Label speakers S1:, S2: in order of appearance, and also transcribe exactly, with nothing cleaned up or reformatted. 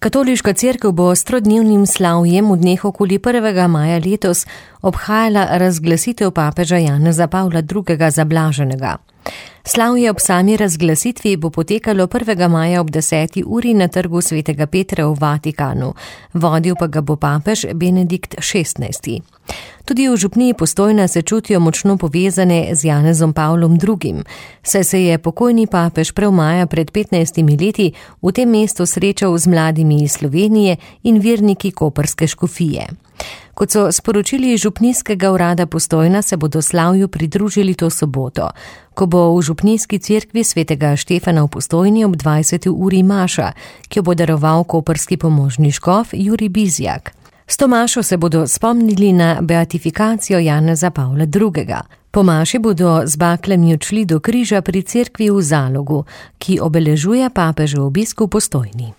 S1: Katoliška cerkev bo s trodnevnim slavjem v dneh okoli prvega maja letos obhajala razglasitev papeža Janeza Pavla drugega za blaženega. Slavje ob sami razglasitvi bo potekalo prvega maja ob deseti uri na trgu svetega Petra v Vatikanu, vodil pa ga bo papež Benedikt šestnajsti. Tudi v župniji Postojna se čutijo močno povezane z Janezom Pavlom drugim, saj se je pokojni papež prav maja pred petnajstimi leti v tem mestu srečal z mladimi iz Slovenije in verniki koprske škofije. Kot so sporočili iz župnijskega urada Postojna, se bodo slavju pridružili to soboto, ko bo v župnijski cerkvi svetega Štefana v Postojni ob dvajseti uri maša, ki jo bo daroval koprski pomožni škof Jurij Bizjak. S to mašo se bodo spomnili na beatifikacijo Janeza Pavla drugega. Po maši bodo z baklami odšli do križa pri cerkvi v Zalogu, ki obeležuje papežev obisk v Postojni.